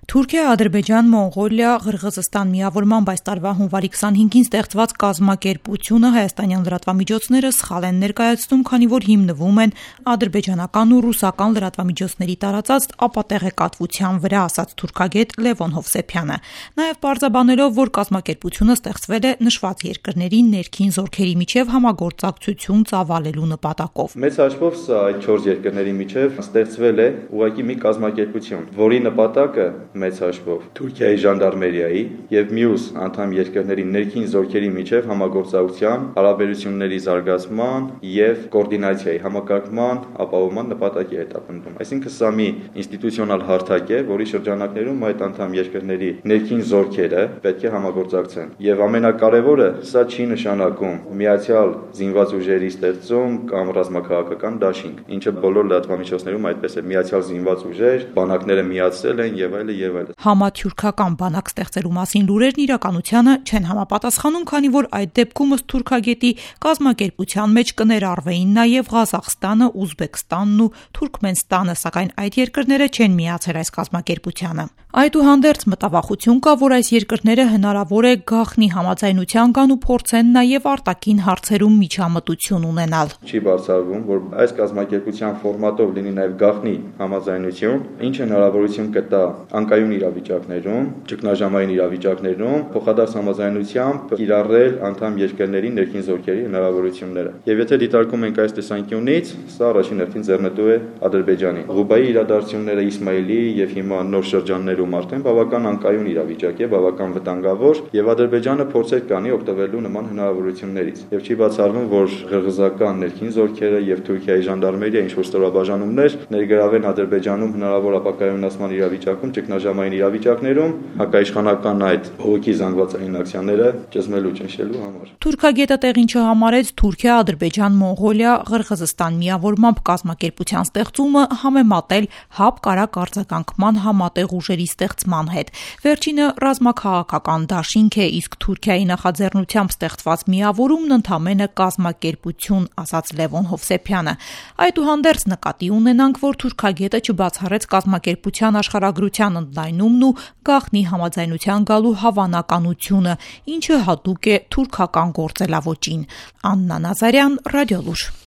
Թուրքիա, Ադրբեջան, Մոնղոլիա, Ղրղզստան միավորմամբ այս տարվա հունվարի 25-ին ստեղծված կազմակերպությունը հայաստանյան լրատվամիջոցները սխալ են ներկայացնում, քանի որ հիմնվում են ադրբեջանական ու ռուսական լրատվամիջոցների տարածած ապատեղեկատվության վրա, ասաց թուրքագետ Լևոն Հովսեփյանը։ Նաև պարզաբանելով, որ կազմակերպությունը ստեղծվել է նշված երկրների ներքին զորքերի միջև համագործակցություն ծավալելու նպատակով։ Մեծ հաշվով սա այդ 4 երկրների միջև ստեղծվել է ուղղակի մի կազմակերպություն, որի նպատակը մեծ հաշվով Թուրքիայի ժանդարմերիայի եւ մյուս անդամ երկրների ներքին զորքերի միջև համագործակցության, հարաբերությունների զարգացման եւ կոորդինացիայի համակարգման ապահովման նպատակի հետապնդում։ Այսինքն սա մի ինստիտուցիոնալ հարթակ է, որի շրջանակներում այդ անդամ երկրների ներքին զորքերը պետք է համագործակցեն։ Եվ ամենակարևորը, սա չի նշանակում միացյալ զինված ուժերի ստեղծում կամ ռազմաքաղաքական դաշինք, ինչը բոլոր լրատվամիջոցներում այդպես է՝ միացյալ զինված ուժեր, բանակները միացել են եւ այլն։ Համաթյուրքական բանակ ստեղծելու մասին լուրերն իրականությանը չեն համապատասխանում, քանի որ այդ դեպքում ըստ թուրքագետի կազմակերպության մեջ կներառվեին նաև Ղազախստանը, Ուզբեկստանն ու Թուրքմենստանը, սակայն այդ երկրները չեն միացել այս կազմակերպությանը։ Այդուհանդերձ մտավախություն կա, որ այս երկրները հնարավոր է գաղտնի համաձայնության գան ու փորձեն նաև արտաքին հարցերում միջամտություն ունենալ։ Չի բացառվում, որ այս կազմակերպության ֆորմատով լինի նաև գաղտնի համաձայնություն, ինչը հնարավորություն կտա անկայուն իրավիճակներում, ճգնաժամային իրավիճակներում փոխադարձ համաձայնությամբ կիրառել անդամ երկրների ներքին զորքերի հնարավորությունները։ Եվ եթե դիտարկում ենք այս տեսանկյունից, սա առաջին հերթին ձեռնտու է Ադրբեջանին։ Ղուբայի իրադարձությունները Իսմայիլի եւ հիմա նոր շրջաններում արդեն բավական անկայուն իրավիճակ է, բավական վտանգավոր, եւ Ադրբեջանը փորձեր կանի օգտվելու նման հնարավորություններից։ Եվ չի բացառվում, որ ղրղզական ներքին զորքերը եւ Թուրքիայի ժանդարմերիա ինչ-որ ստորաբաժանումներ ներգրավեն Ադրբեջանում հնարավոր ապակայունացման իրավիճակում, ճգնաժամային իրավիճակներում հակաիշխանական այդ բողոքի զանգվածային ակցիաները ճզմելու, ճնշելու համար։ Թուրքագետը տեղին չհամարեց Թուրքիա, Ադրբեջան, Մոնղոլիա, Ղրղզստան միավորմամբ կազմակերպության ստեղծումը համեմատել հապկարակ արձագանքման համատեղ ուժերի ստեղծման հետ։ Վերջինը ռազմաքաղաքական դաշինք է, իսկ Թուրքիայի նախաձեռնությամբ ստեղծված միավորումն ընդամենը կազմակերպություն, ասաց Լևոն Հովսեփյանը։ Այդուհանդերձ նկատի ունենանք, որ թուրքագետը չբացառեց կազմակերպության աշխարհագրության ընդլայնումն ու գաղտնի համաձայնության գալու հավանականությունը, ինչը հատուկ է թուրքական գործելավոճին։ Աննա Նազարյան, Ռադիոլուր։